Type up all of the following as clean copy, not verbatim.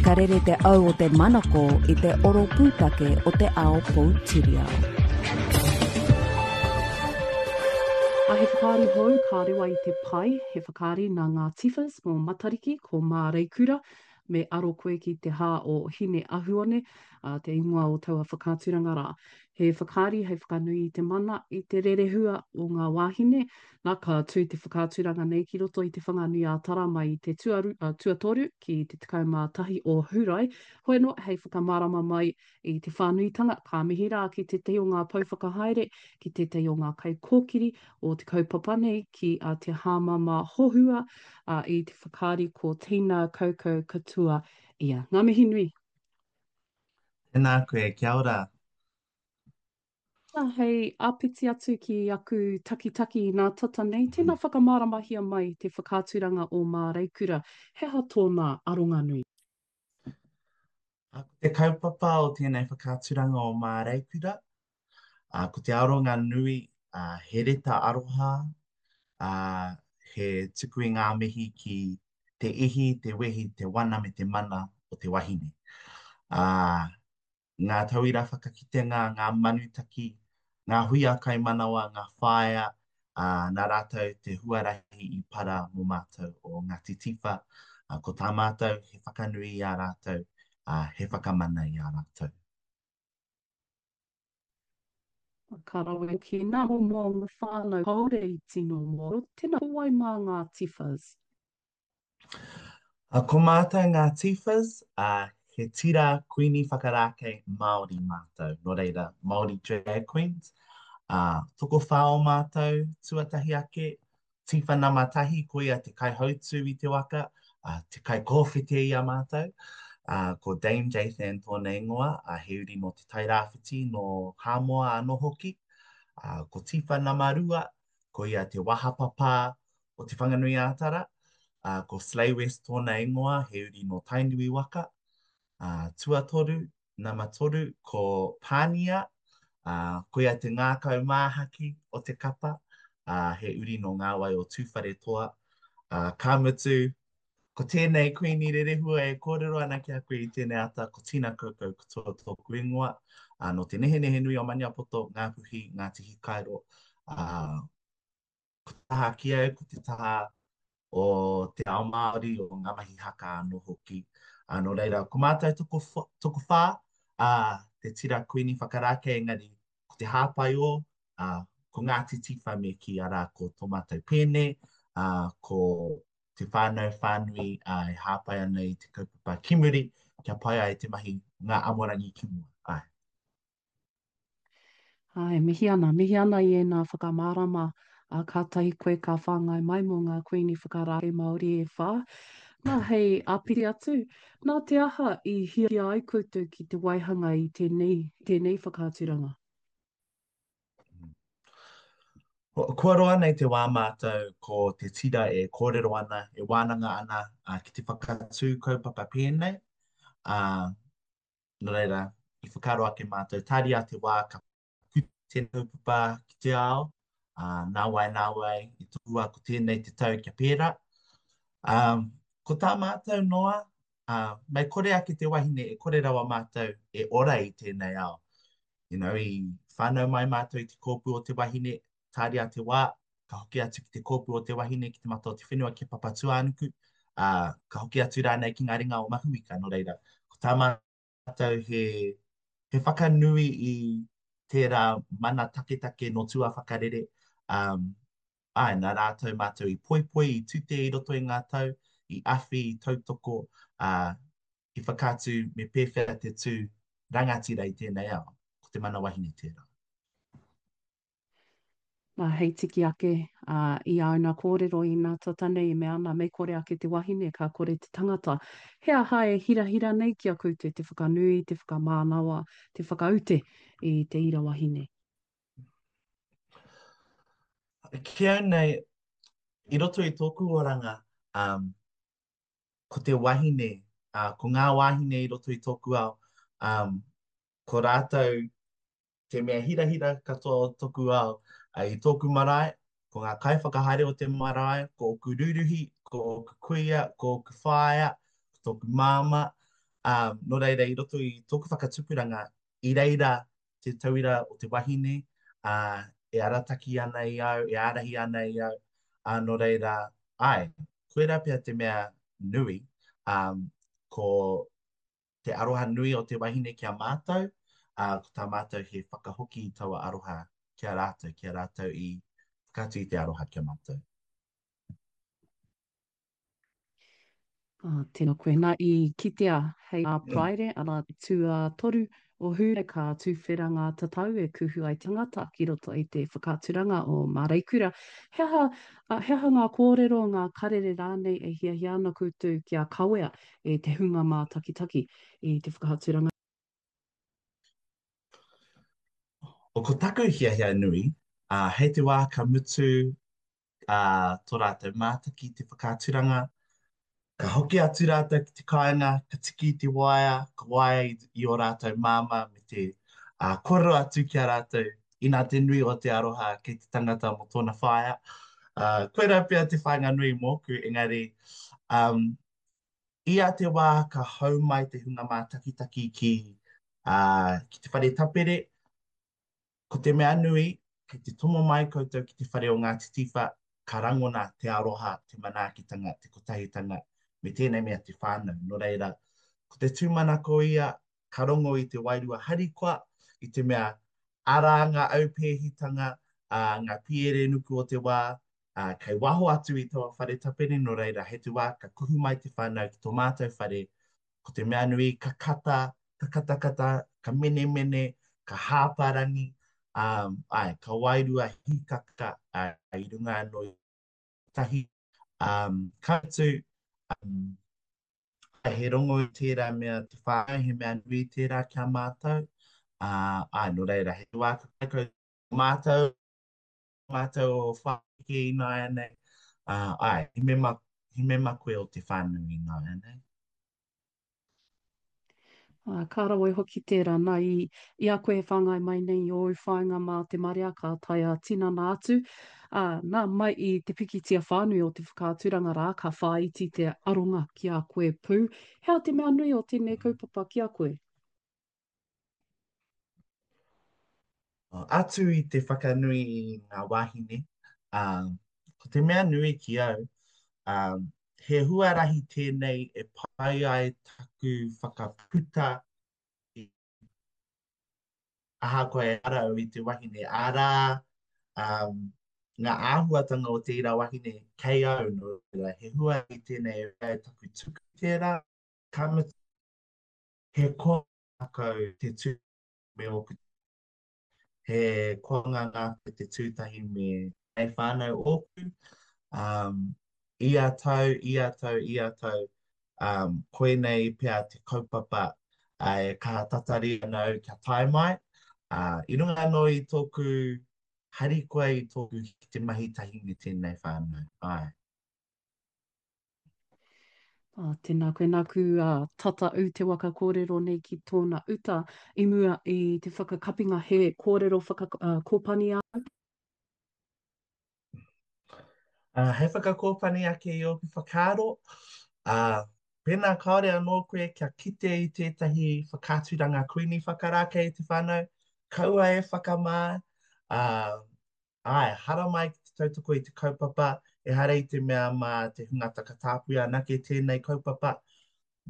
Ka rere te au o te manako i te oro pūtake o te ao poutiriao. A he whakaari hou ka rewa i te pae, he whakaari nā ngā Tifas mō Matariki, ko Māreikura, me aro koe ki te hā o Hine Ahuone, ā, te ingoa o taua whakaaturanga rā. He whakaari hei whakanui i te mana, i te rerehua o ngā wāhine, nā, ka tū te whakaaturanga nei ki roto i Te Whanganui-ā-Tara mai i te tuaru, ā, tuatoru ki te 11 o Hurae. Hoi anō, hei whakamārama mai i te whānuitanga, ka mihi rā ki tētahi o ngā pou whakahaere, ki tētahi o ngā kaikōkiri o te kaupapa nei, ki a Te Hāmama Hohua, ā, i te whakaari ko Tina Kaukau Katua ia. Ngā mihi nui. Tēnā koe, kia ora. Nā, hei āpiti atu ki aku takitaki inā tata nei, tēnā whakamāramahia mai te whakaaturanga o Māreikura, he aha tōna aronga nui? Ko te kaupapa o tēnei whakaaturanga o Māreikura, ko te aronga nui, he reta aroha, he tuku i ngā mihi ki te ihi, te wehi, te wana me te mana o te wahine. Ngā tauira whakakitenga, ngā manutaki, ngā huia kaimanawa, ngā whāea, ā, nā rātou te huarahi i para mō mātou o Ngāti Tiwha. Ā, ko tā mātou he whakanui i a rātou, ā, he whakamana i a rātou. Ka rawe hoki nā momo o ngā whānau kāore i tino mōhio, tēnā ko wai mā ngā Tiwhas? Ko mātou ngā Tifas, ā, he tira kuini whakarākei Māori mātou, nō reira, Māori Drag Queens. Ā, tokowhā o mātou, tuatahi ake, Tifa nama tahi, koia te kaihautū i te waka, ā, te kaikōwhete i a mātou. Ā, ko Dame Jathan tōna ingoa, ā, he uri nō Te Tairāwhiti, nō Hāmoa anō hoki. Ā, ko Tifa nama rua, koia te wahapapā o Te Whanganui-ā-Tara, ā, ko Slay West tōna ingoa, he uri nō Tainui waka. Ā, tuatoru, nama toru, ko Pānia, ā, koia te ngākau māhaki o te kapa, ā, he uri nō ngā wai o Tūwharetoa. Ā, ka mutu, ko tēnei Kuini Rerehua e kōrero ana ki a koe i tēnei ata, ko Tina Kaukau Katoa tōku ingoa, ā, nō Te Nehenehenui o Maniapoto, Ngāpuhi, Ngāti Hikairo, ā, Ko te taha ki au, ko te taha o te ao Māori, o ngā mahi haka anō hoki. Ā, nō reira, ko mātou tokowhā, ā, te tira Kuini Whakarākei, engari ko te hāpai o, ā, ko Ngāti Tiwha me kī, arā, ko tō mātou pēne, ā, ko te whānau whānui, ā, e hāpai ana i te kaupapa ki muri, kia pai ai te mahi ngā amorangi ki mua. Āe. Āe, mihi ana, mihi ana i ēnā whakamārama, ā, kātahi koe ka whāngai mai mō ngā Kuini Whakarākei Māori e whā. Nā, hei āpiti atu, nā te aha i hiahia ai koutou ki te waihanga i tēnei, tēnei whakaaturanga? Kua roa nei te wā mātou ko te tira e kōrero ana, e wānanga ana ki te whakatū kaupapa pēnei, ā, Nō reira, i whakaaro ake mātou, tāria te wā ka puta tēnei kaupapa ki te ao, ā, nāwai nāwai, i tohua ko tēnei te tau kia pērā. Ā, ko tā mātou noa, ā, mei kore ake te wahine e kore rawa mātou e ora i tēnei ao. You know, i whānau mai mātou i te kōpū o te wahine, tāria te wā, ka hoki atu ki te kōpū o te wahine, ki te mata o te whenua, ki a Papatūānuku, ā, ka hoki atu rānei ki ngā ringa o Mahuika. Nō reira, ko tā mātou he, he whakanui i tērā mana taketake nō tuawhakarere, ā, āe, nā rātou mātou i poipoi, i tute i roto i ngā tau, i awhi, i tautoko, ā, i whakaatu me pēwhea te tū rangatira i tēnei ao, ko te mana wahine tērā. Nā, hei tiki ake, ā, i āuna kōrero inā tata nei e mea ana, mei kore ake te wahine, ka kore te tangata. He aha e hirahira nei ki a koutou te whakanui, te whakamānawa, te whakaute i te ira wahine? Ki au nei, i roto i tōku oranga, um, ko te wahine, uh, ko ngā wāhine i roto i tōku ao, um, ko rātou te mea hirahira katoa o toku ao, i tōku marae, ko ngā kaiwhakahaere o te marae, ko ōku rūruhi, ko ōku kuia, ko ōku whaea, ko tōku māmā. Ā, nō reira, i roto i tōku whakatupuranga, i reira te tauira o te wahine, ā, e arataki ana i au, e ārahi ana i au, ā, nō reira, āe, koirā pea te mea nui, ā, ko te aroha nui o te wahine ki a mātou, ā, ko tā mātou he whakahoki i taua aroha ki a rātou, ki a rātou i whakaatu i te aroha ki a mātou. Ā, tēnā koe. Nā, i kitea hei ā Paraire, arā te tuatoru o Hūrae, ka tuwhera ngā tatau e kuhu ai tangata ki roto i te whakaaturanga o Māreikura. He aha, he aha ngā kōrero, ngā karere rānei e hiahia ana koutou kia kawea e te hunga mātakitaki i te whakaaturanga? O, ko taku hiahia nui, ā, hei te wā ka mutu ā, tō rātou mātaki i te whakaaturanga, ka hoki atu rātou ki te kāinga, ka tiki i te waea, ka waea i, i ō rātou māmā me te ā, kōrero atu ki a rātou, inā te nui o te aroha kei te tangata mō tōna whaea. Ā, koirā pea te whāinga nui mōku, engari, um, ia te wā ka hau mai te hunga mātakitaki ki, ā, ki te whare tapere, Ko te mea nui, kei te tomo mai koutou ki te whare o Ngāti Tiwha, ka rangona te aroha, te manaakitanga, te kotahitanga, me tēnei mea te whānau. Nō reira, ko te tūmanako ia, ka rongo i te wairua harikoa, i te mea, arā ngā aupēhitanga, ā, ngā piere nuku o te wā, ā, kei waho atu i taua whare tapere, nō reira, hei te wā ka kuhu mai te whānau ki tō mātou whare, ko te mea nui, ka kata, ka katakata, ka menemene, ka hāparangi, ā, āe, ka wairua hīkaka, ā, i runga anō i tahi, ā, ka mutu, ā, he rongo i tērā mea te whānau, he mea nui tērā ki a mātou, ā, āe, nō reira, he wā ka kai koutou mātou, mātou o Whākeke ināianei, ā, āe, he mema, he mema koe o te whānau ināianei. Ā, ka rawe hoki tērā, nā, i, i a koe e whāngai mai nei i ōu whāinga mā te marea ka tae ā-tinana atu, ā, nā, mai i te pikitia whānui o te whakaaturanga rā, ka whāiti te aronga ki a koe pū. He aha te mea nui o tēnei kaupapa ki a koe? Atu i te whakanui i ngā wāhine, ā, ko te mea nui ki au, ā, he huarahi tēnei e pai ai taku whakaputa i, ahakoa ehara au i te wahine, arā, ā, ngā āhuatanga o te ira wahine kei au, nō reira, he huarahi tēnei e pai ai taku tuku tērā, ka mutu, he koa ngākau te tū me ōku he koanga ngākau te tū tahi me tēnei whānau ōku. Um, ia tau, ia tau, ia tau, um, koinei pea te kaupapa uh, e kaha tatari ana au kia tae mai. Uh, I runga anō i tōku harikoa i tōku ki te mahi tahi me tēnei whānau. Āe. Ā, tēnā koe, nāku ā, tata ū te waka kōrero nei ki tōna uta i mua i te whakakapinga he kōrero whaka, ā, kōpani āu. Ā, hei whakakōpani ake i ōku whakaaro, ā, pēnā kāore anō koe kia kite i tētahi whakaaturanga Kuini Whakarākei i te whānau, kaua e whakamā, ā, Āe, haramai ki te tautoko i te kaupapa, ehara i te mea mā te hunga takatāpui anake tēnei kaupapa,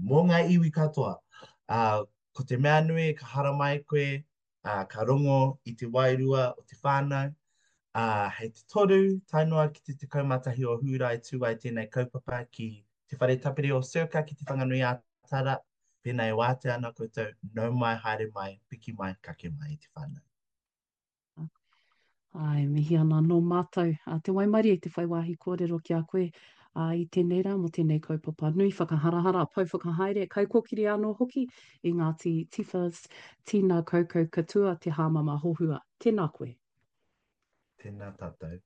mō ngā iwi katoa. Ā, ko te mea nui ka haramai koe, ā, ka rongo i te wairua o te whānau, ā, hei te toru tae noa ki te 11 o Hūrae tū ai tēnei kaupapa ki Te Whare Tapere o Circa ki Te Whanganui-ā-Tara, pēnā e wātea ana koutou, nau mai, haere mai, piki mai, kake mai i te whānau. Āe, mihi ana anō mātou a te waimarie te whai wāhi kōrero ki a koe ā, i tēnei rā mō tēnei kaupapa nui whakaharahara, pou whakahaere, kaikōkiri anō hoki i Ngāti Tiwhas, Tīna Kaukau Katua, Te Hāmama Hohua. Tēnā koe. Tēnā tātou.